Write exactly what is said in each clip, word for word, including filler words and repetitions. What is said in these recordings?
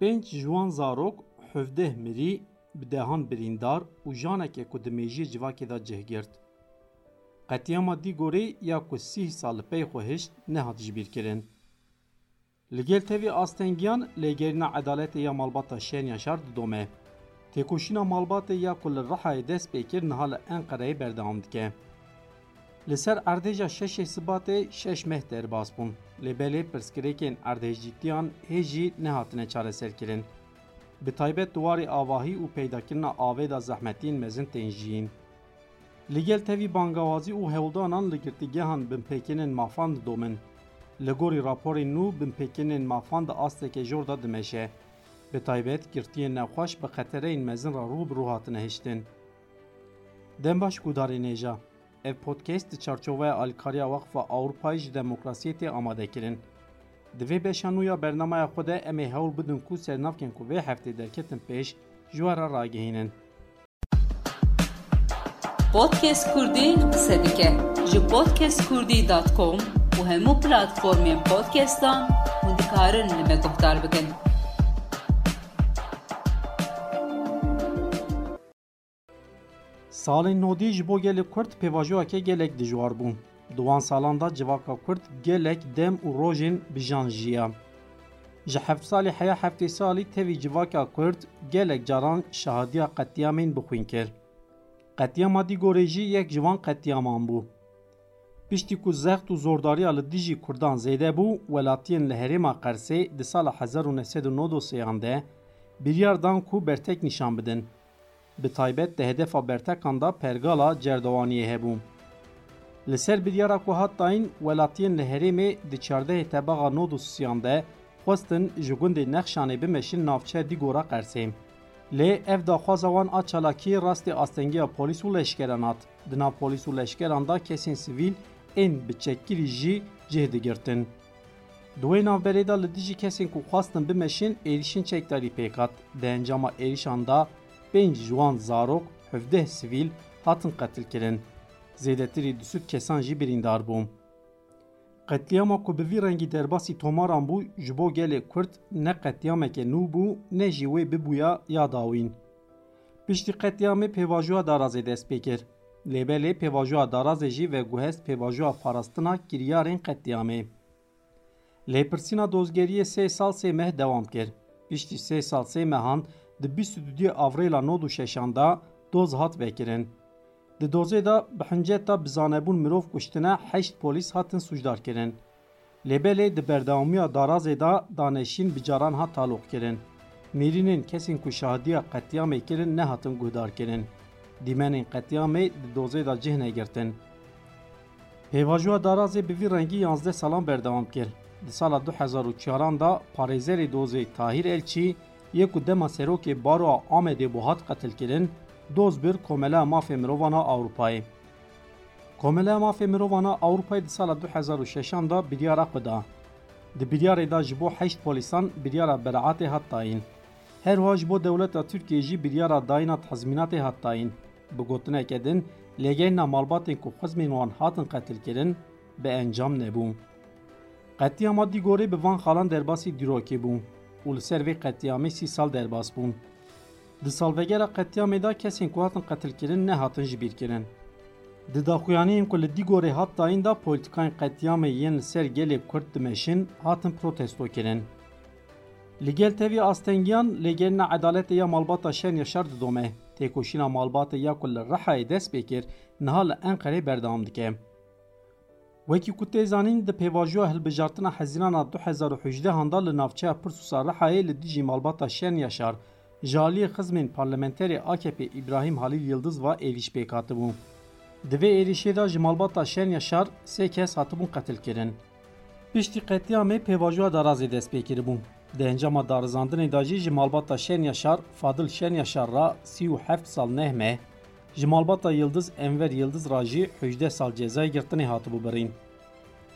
Pênc ji wan zarok, hevdeh mirî, bi dehan birîndar û janeke ku di mêjiyê civakê de cih girt. Qetlîama Dîgorê ya ku sîh sal li pey xwe hişt, nehat jibîrkirin. Li gel tevî astengiyan, lêgerîna edaletê ya malbata Şen Yaşar didome. Têkoşîna malbatê ya ku li Rihayê dest pê kir, niha li Enqereyê berdewam dike. Li ser erdhêja şeşê Sibatê şeş meh derbas bûn. Lê belê pirsgirêkên erdhejîtiyan hê jî nehatine çareserkirin. Bi taybet di warê avahî û peydakirina avê de zehmetiyên mezin tên jiyîn. Li gel tevî bangawazî û hewldanan li girtîgehan binpêkirinên mafan didomin. Li gorî raporên nû, binpêkirinên mafan di asteke jor de dimeşe. Bi taybet, girtiyên nexweş bi xetereyên mezin re rû bi rû hatine hiştin. Dem baş guhdarên hêja. Ev podcast di çarçoveya alîkariya Weqfa Ewropayê ji Demokrasiyê tê amadekirin. Di vê beşa nû ya bernameya xwe de em ê hewl bidin ku sernavkên ku vê heftê derketin pêş, ji we re ragihînin. Podcast Kurdî qise dike. Ji podcast kurdî dot com û hemû platformên podcastan hûn dikarin li me guhdar bikin. Salên nodî ji bo gelê Kurd pêvajoyeke gelek dijwar bû. Di wan salan de civaka Kurd gelek dem û rojên bi jan jiya. Ji heft salî heya heftê salî tevî civaka Kurd gelek caran şahadiya qetlîamên bi xwîn kir. Qetlîama Dîgorê jî yek ji van qetlîaman bû. Piştî ku zext û zordariya li dijî Kurdan zêde bû, welatiyên li herêma Qersê di sala hezar û neh sed û nod û sêyan de biryar dan ku bertek nîşan bidin. Bi taybet di hedefa bertekan de pergala cerdewaniyê hebû. Li ser biryara ku hat dayîn, welatiyên li herêmê di çardehê Tebaxa nod û sêyan de xwestin ji gundê Nexşanê bimeşin navçeya Dîgora Qersê. Lê ev daxwaza wan a çalakiyê rastî astengiya polîs û leşkeran hat. Di nav polîs û leşkeran de kesên sivîl ên bi çekkirî jî cih digirtin. Di wê navberê de li dijî kesên ku xwestin bimeşin êrîşên çekdarî pêk hat. Di encama êrîşan de pênc ji wan zarok, hevdeh sivîl hatin qetilkirin. Zêdetirî du sed kesan jî birîndar bûn. Qetlîama ku bi vî rengî derbasî tomaran bû, ji bo gelê Kurd ne qetlîameke nû bû, ne jî wê bibûya ya dawîn. Piştî qetlîamê pêvajoya Darazê dest pê kir. Lê belê pêvajoya Darazê jî veguhest pêvajoya parastina kiryarên qetlîamê. Lêpirsîna dozgeriyê sê sal sê meh dewam kir. Piştî sê sal sê mehan, di bîst û duyê Avrêla nod û şeşan de doz hat vekirin. Di dozê de bi hinceta bi zanebûn mirov kuştine heşt polîs hatin sûcdar kirin. Lê belê di berdewamiya Darazê de danişîn bi caran hat taloq kirin. Nêrînên kesên ku şahidiya qetlîamê kirin nehatin guhdar kirin. Dîmenên qetlîamê di dozê de cih negirtin. Pêvajoya Darazê bi vî rengî yanzdeh salan berdewam kir. Di sala du hezar û çaran de parêzerê dozê Tahîr Elçî yê ku dema serokê Baroya Amedê bû hat qetilkirin, doz bir Komeleya Mafê Mirovan a Ewropayê. Komeleya Mafê Mirovan a Ewropayê di sala du hezar û şeşan de biryara xwe da. Di biryarê de ji bo heşt polîsan biryara beraetê hat dayîn. Her wiha ji bo dewleta Tirkiyê jî biryara dayîna tezmînatê hat dayîn. Bi gotineke din, lêgerîna malbatên ku xizmên wan hatin qetilkirin, bi encam nebû. Qetlîama Dîgorê bi van xalan derbasî dîrokê bû û li ser vê qetlîamê sî sal derbas bûn. Di salvegera qetlîamê de kesên ku hatin qetilkirin nehatin jibîrkirin. Di daxuyaniyên ku li Dîgorê hat dayîn de polîtîkayên qetlîamê yên li ser gelê Kurd dimeşin hatin protestokirin. Li gel tevî astengiyan, lêgerîna edaletê ya malbata Şen Yaşar didome. Têkoşîna malbatê ya ku li Rihayê dest pê kir, niha li Enqerê berdewam dike. Wekî ku tê zanîn, di pêvajoya hilbijartina Hezîrana du hezar û hejdehan de li navçeya Pirsûsa Rihayê li dijî malbata Şen Yaşar, ji aliyê xizmên parlamenterê A K P Îbrahîm Halîl Yildiz ve êrîş pêk hatibû. Di vê êrîşê de ji malbata Şen Yaşar sê kes hatibûn qetilkirin. Piştî qetlîamê pêvajoya Darazê dest pê kiribû. Di encama darizandinê de jî ji malbata Şen Yaşar, Fadil Şen Yaşar re sî û heft sal neh meh, ji malbata Yildiz Enver Yildiz re jî hejdeh sal cezayê girtinê hatibû birîn.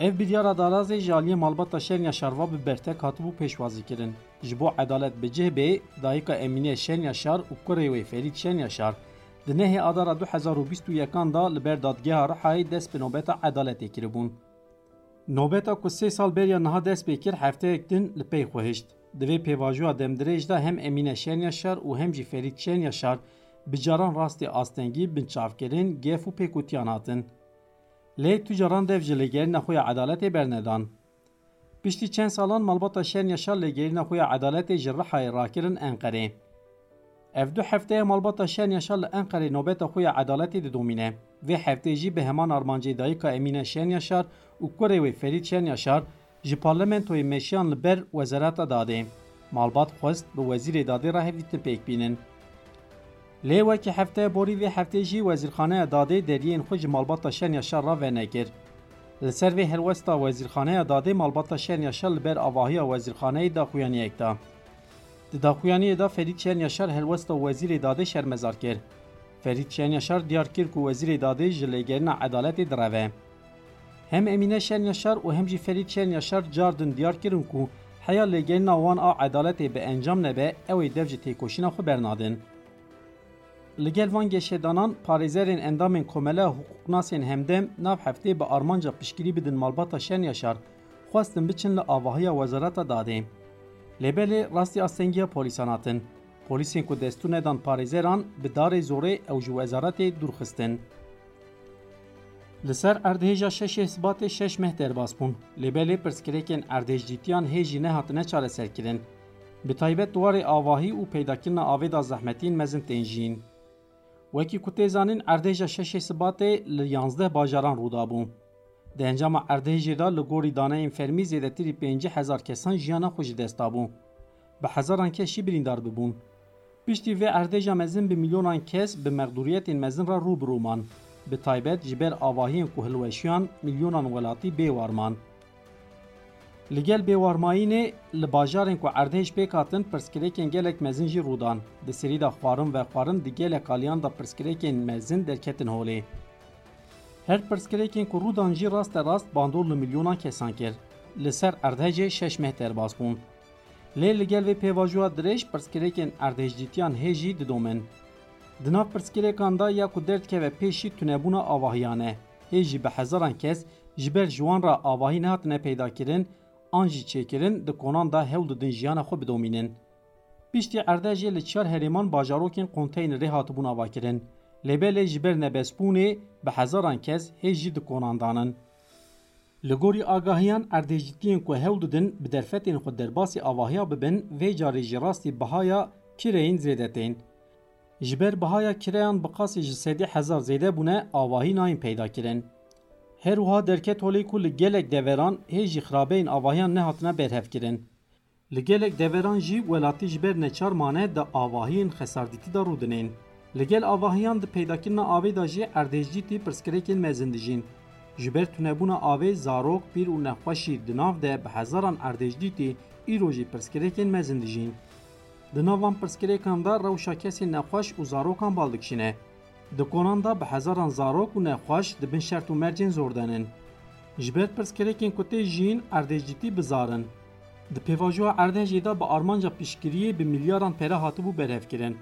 Ev biryara Darazê ji aliyê malbata Şen Yaşar ve bi bertek hatibû pêşwazîkirin. Ji bo edalet bi cih bê, dayika Emîne Şen Yaşar û kurê wê Ferîd Şen Yaşar di nehê Adara du hezar û bîst û yekan de li ber Dadgeha Rihayê dest bi nobeta edaletê kiribûn. Nobeta ku sê sal beriya niha dest pê kir, hefteyek din li pey xwe hişt. Di vê pêvajoya demdirêj de hem Emîne Şenyaşar û hem jî Ferîd Şenyaşar bi caran rastî astengî, binçavkirin, gef û pêkutiyan hatin. Lê tu caran dev ji lêgerîna xwe ya edaletê bernedan. Piştî çend salan malbata Şenyaşar lêgerîna xwe ya edaletê ji Rihayê rakirin Enqerê. Ev du hefteye malbata Şenyaşar li Enqerê nobeta xwe ya edaletê didomîne. Vê heftê jî bi heman armancê dayika Emîne Şenyaşar û kurê wê Ferîd Şenyaşar ji parlamentoyê meşiyan li ber Wezareta Dadê. Malbat xwest bi Wezîrê Dadê re hevdîtin pêk bînin. Lê wekî hefteye borî, vê heftê jî Wezîrxaneya Dadê deriyên xwe ji malbata Şenyaşar re venekir. Li ser vê helwesta Wezîrxaneya Dadê malbata Şenyaşar li ber avahiya wezîrxaneyê daxuyaniyek da. Di daxuyaniyê de Ferîd Şenyaşar helwesta Wezîrê Dadê şermezar kir. Ferîd Şenyaşar diyar kir ku Wezîrê Dadê ji lêgerîna edaletê direve. Hem Emîne Şenyaşar û hem jî Ferîd Şenyaşar cardin diyar kirin ku heya lêgerîna wan a edaletê bi encam nebe, ew ê dev ji têkoşîna xwe bernadin. Li gel van geşedanan, parêzerên endamên Komeleya Hiqûqnasên Hemdem nav heftê bi armanca piştgirî bidin malbata Şenyaşar, xwestin biçin li avahiya Wezareta Dadê. Lê belê rastî astengiya polîsan hatin. Polîsên ku destûr nedan parêzeran bi darê zorê ew ji wezaretê dûr xistin. Li ser erdhêja şeşê Sibatê şeş meh derbas bûn. Lê belê pirsgirêkên erdhêjcîtiyan hê jî nehatine çareserkirin. Bi taybet di warê avahî û peydakirina avê de zehmetiyên mezin tên jiyîn. Wekî ku tê zanîn, erdhêja şeşê Sibatê li yanzdeh bajaran rû dabû. Di encama erdhêjê de li gorî daneyên fermî zêdetirî pêncî hezar kesan jiyana xwe ji dest dabû. Bi hezaran kes jî birîndar bibûn. Piştî vê erdhêja mezin bi milyonan kes bi mexdûriyetên mezin re rû bi rû man. Bi taybet ji ber avahiyên ku hilweşiyan milyonan welatî bêwar man. Li gel bêwarmayînê, li bajarên ku erdhêj pêk hatin, pirsgirêkên gelek mezin jî rû dan. Di serî de xwarin vexwarin di gelek aliyan de pirsgirêkên mezin derketin holê. Her pirsgirêkên ku rû dan jî raste rast bandor li milyonan kesan kir. Li ser erdhejê şeş meh derbas bûn. Lê li gel vê pêvajoya dirêj pirsgirêkên erdhêjcîtiyan hê jî didomin. Di nav pirsgirêkan de ya ku derdikeve pêşî tunebûna avahiyan e. Hê jî bi hezaran kes ji ber ji wan re avahî nehatine peydakirin an jî çêkirin di konan de hewl didin jiyana xwe bidomînin. Piştî erdhejê li çar herêman bajarokên konteynerê hatibûn avakirin. Lê belê ji ber nebestbûnê bi hezaran kes hê jî di konan danin. Li gorî agahiyan, erdhêjîtiyên ku hewl didin bi derfetên xwe derbasî avahiya bibin, vê carê jî rastî bihaya kireyên zêde tên. Ji ber bihaya kireyan bi qasî ji sedî hezar zêde bûne, avahî nayên peyda kirin. Her wiha derket holê ku li gelek deveran hê jî xirabeyên avahiyan nehatine berhevkirin. Li gelek deveran jî welatî ji ber neçar mane di avahiyên xesardîtî de rûdinên. Li gel avahiyan di peydakirina avê de jî erdhêjcîtî pirsgirêkên mezin dijîn. Ji ber tunebûna avê zarok, pîr û nexweşî di nav de bi hezaran erdhêjcîtî îro jî pirsgirêkên mezin dijîn. Di nav van pirsgirêkan de rewşa kesên nexweş û zarokan bal dikişîne. Di konan de bi hezaran zarok û nexweş di bin şert û mercên zor de nin. Ji ber pirsgirêkên ku tê jiyîn erdhêjîtî bizar in. Di pêvajoya erdhejê de bi armanca piştgiriyê bi milyaran pere hatibû berhevkirin.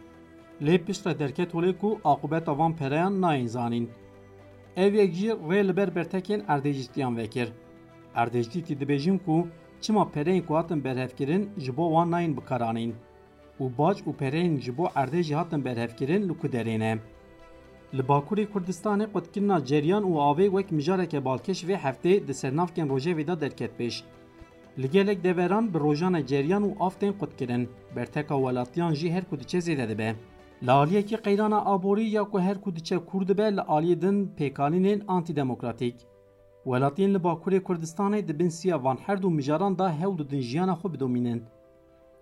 Lê piştre derket holê ku aqûbeta van pereyan nayên zanîn. Ev yek jî rê li ber bertekên erdhêjîtiyan vekir. Erdhêjîtî dibêjin ku çima pereyên ku hatin berhevkirin ji bo wan nayên bikaranîn. û bac û pereyên ji bo erdhejê hatin berhevkirin li ku derê ne. Li Bakurê Kurdistanê qutkirina ceryan û avê wek mijareke balkêş vê heftê di sernavkên rojevê de derket pêş. Li gelek deveran bi rojane ceryan û av tên qutkirin, berteka welatiyan jî her ku diçe zêde dibe. Li aliyekî qeyrana aborî ya ku her ku diçe kûr dibe, li aliyê din pêkanînên antîdemokratîk. Welatiyên li Bakurê Kurdistanê di bin siya van her du mijaran de hewl didin jiyana xwe bidomînin.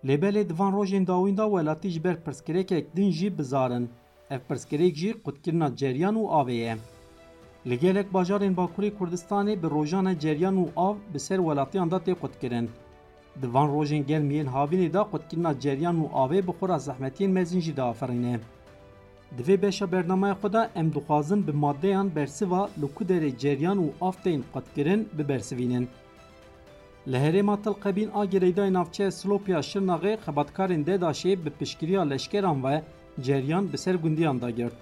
Lê belê di van rojên dawîn de welatî ji ber pirsgirêkek din jî bizar in. Ev pirsgirêk jî qutkirina ceryan û avê ye. Li gelek bajarên Bakurê Kurdistanê bi rojane ceryan û av bi ser welatiyan de tê qutkirin. Di van rojên germ yên havînê de qutkirina ceryan û avê bi xwe re zehmetiyên mezin jî diaferîne. Di vê beşa bernameya xwe de em dixwazin bi madeyan bersiva li ku derê ceryan û av tên qutkirin bibersivînin. Li herêma Til Qebîn a girêdayê navçeya Silopya Şirnaxê xebatkarên DEDAŞê bi piştgiriya leşkeran ve ceryan bi ser gundiyan de girt.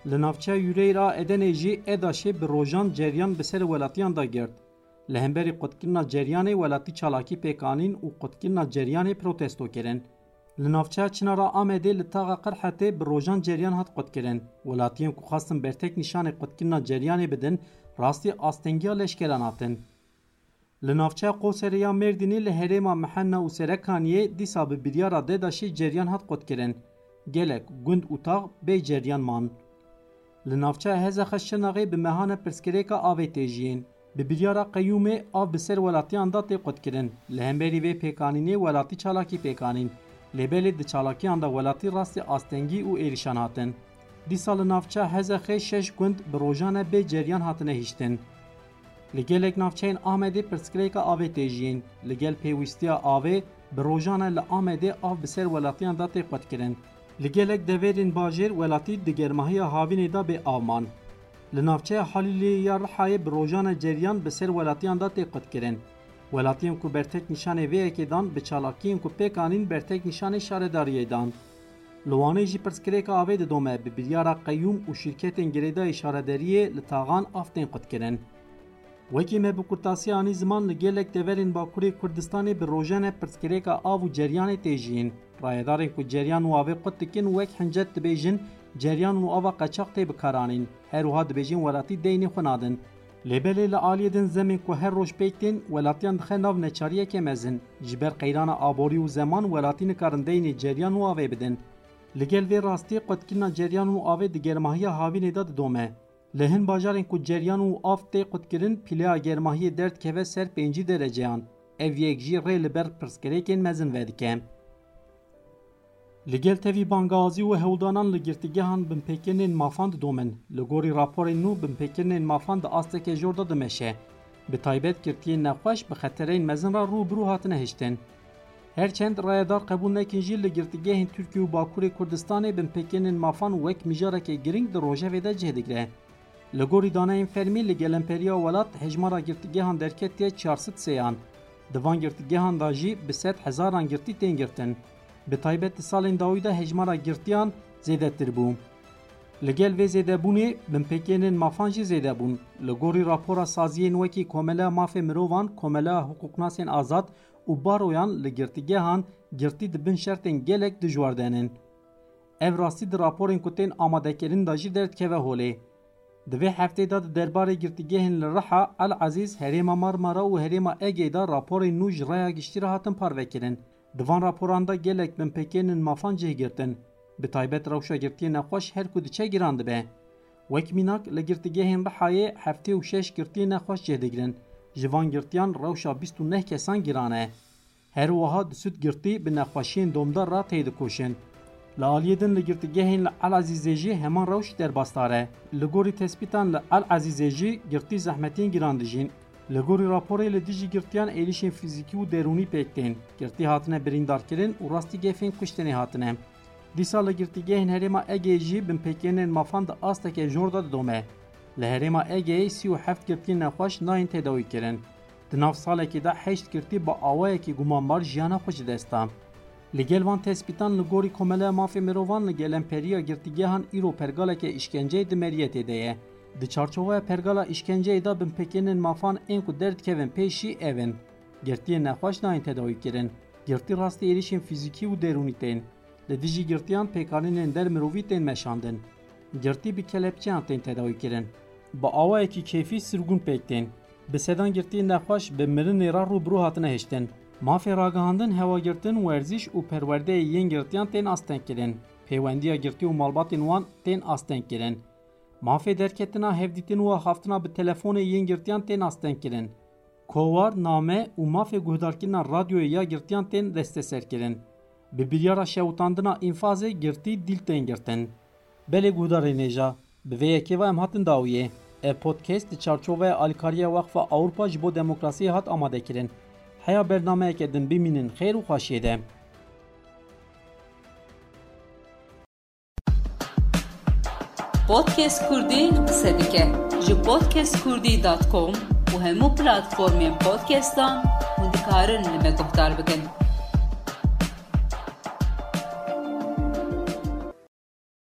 Li navçeya Yûreyr a Edenê jî EDAŞê bi rojan ceryan bi ser welatiyan de girt. Li hemberî qutkirina ceryanê welatî çalakî pêk anîn û qutkirina ceryanê protesto kirin. Li navçeya Çinara Amedê li taxa Qirhetê bi rojan ceryan hat qutkirin. Welatiyên ku xwestin bertek nîşanê qutkirina ceryanê bidin, rastî astengiya leşkeran hatin. Li navçeya Qoserê ya Mêrdînê li herêma Mihenna û Serekaniyê dîsa bi biryara DEDAŞê ceryan hat qutkirin. Gelek gund û tax bê ceryan man. Li navçeya Hezexe Şirnexê bi mehane pirsgirêka avê tê jiyîn. Bi biryara qeyûmê av bi ser welatiyan de tê qutkirin. Li hemberî vê pêkanînê welatî çalakî pêk anîn. Lê belê di çalakiyan de welatî rastî astengî û êrîşan hatin. Dîsa li navçeya Hezexê şeş gund bi rojan e bê ceryan hatine hiştin. Li gelek navçeyên Amedê pirsgirêka avê tê jiyîn. Li gel pêwîstiya avê bi rojan e li Amedê av bi ser welatiyan de tê qutkirin. Li gelek deverên bajêr welatî di germahiya havînê de bê av man. Li navçeya Halîliyê ya Rihayê bi rojan e ceryan bi ser welatiyan de tê qutkirin. Welatiyên ku bertek nîşanê vê yekê dan bi çalakiyên ku pêk anîn bertek nîşanê şaredariyê dan. Li Wanê jî pirsgirêka avê didome bi biryara qeyûm û şîrketên girêdayî şaredariyê li taxan av tên qutkirin. Wekî me bi kurtasî anî ziman, li gelek deverên Bakurê Kurdistanê bi rojan e pirsgirêka av û ceryanê tê jiyîn. Rayedarên ku ceryan û avê qut dikin wek hincet dibêjin, ceryan û ava qeçax tê bikaranîn. Her wiha dibêjin welatî deynê xwe nadin. Lê belê li aliyê din zemên ku her roj pêk tên, welatiyan dixe nav neçariyeke mezin. Ji ber qeyrana aborî û zeman welatî nikarin deynê ceryan û avê bidin. Li gel vê rastî qutkirina ceryan û avê di germahiya havînê de didome. Li hin bajarên ku ceryan û av tê qutkirin, pîleya germahiyê derdikeve ser pêncî dereceyan. Ev yek jî rê li ber pirsgirêkên mezin vedike. Li gel tevî bangazî û hewldanan li girtîgehan binpêkirinên mafan didomin. Li gorî raporên nû, binpêkirinên mafan di asteke jor de dimeşe. Bi taybet girtiyên nexweş bi xetereyên mezin re rû bi rû hatine hiştin. Her çend rayedar qebûl nekin jî, li girtîgehên Tirkiye û Bakurê Kurdistanê binpêkirinên mafan wek mijareke giring di rojevê de cih digire. Li gorî daneyên fermî, li gelemperiya welat hejmara girtîgehan derketiye çar sed sêyan. Di van girtîgehan de jî bi sed hezaran girtî tên girtin. Bi taybet di salên dawî de hejmara girtiyan zêdetir bû. Li gel vê zêdebûnê, binpêkirinên mafan jî zêde bûn. Li gorî rapora saziyên wekî Komeleya Mafê Mirovan, Komeleya Hiqûqnasên Azad û Baroyan, li girtîgehan girtî di bin şertên gelek dijwar de ne. Ev rastî di raporên ku tên amadekirin de jî derdikeve holê. Di vê heftê de di derbarê girtîgehên li Riha, El Ezîz, herêma Marmara û herêma Egeyê de raporên nû ji raya giştî re hatin parvekirin. Di van raporan de gelek binpêkirinên mafan cih girtin. Bi taybet rewşa girtiyê nexweş her ku diçe giran dibe. Wek mînak, li girtîgehên Rihayê heftê û şeş girtiyên nexweş cih digirin. Ji van girtiyan rewşa bîst û neh kesan giran e. Her wiha di sud girtî bi nexweşiyên domdar re têdikoşin. Li aliyê din li girtîgehên li El Ezîzê jî heman rewş derbasdar e. Li gorî tespîtan li El Ezîzê jî girtî zehmetiyên giran dijîn. Li gorî raporê li dijî girtiyan êrîşên fîzîkî û derûnî pêk tên. Girtî hatine birîndarkirin û rastî gefên kuştinê hatine. Dîsa li girtîgehên herêma Egeyê jî binpêkirinên mafan di asteke jor de didome. Li herêma Egeyê sî û heft girtiyên nexweş nayên tedawîkirin. Di nav salekê de heşt girtî bi awayekî gumanbar jiyana xwe ji dest da. Li gel van tespîtan, li gorî Komeleya Mafê Mirovan, li gelemperiya girtîgehan îro pergaleke îşkenceyê di meriyetê de ye. Di çarçoveya pergala îşkenceyê de binpêkirinên mafan ên ku derdikevin pêşî ev in: girtiyên nexweş nayên tedawîkirin, girtî rastî êrîşên fîzîkî û derûnî tên. Li dijî girtiyan pêkanînên der mirovî tên meşandin. Girtî bi kelepçeyan tên tedawîkirin. Bi awayekî kêfî sirgûn pêk tên. Bi sedan girtiyên nexweş bi mirinê re rû bi rû hatine hiştin. Mafê ragihandin, hewagirtin, werzîş û perwerdeyê yên girtiyan tên astengkirin. Pêwendiya girtî û malbatên wan tên astengkirin. Mafê derketina, hevdîtin û axaftina bi telefonê yên girtiyan tên astengkirin. Kowar, name û mafê guhdarkirina radyoyê ya girtiyan tên desteserkirin. Bi biryara şewitandina înfazê girtî dîl tên girtin. Belê guhdarên hêja, bi vê yekê ve em hatin dawiyê. Ev podcast di çarçoveya alîkariya Weqfa Ewropa ji bo Demokrasiyê hat amadekirin. Heya bernameyeke din bimînin xêr û xweşiyê de. Podcast Kurdî qise dike. Ji podcast kurdî dot com û hemû platformên podcastan hûn dikarin li me guhdar bikin.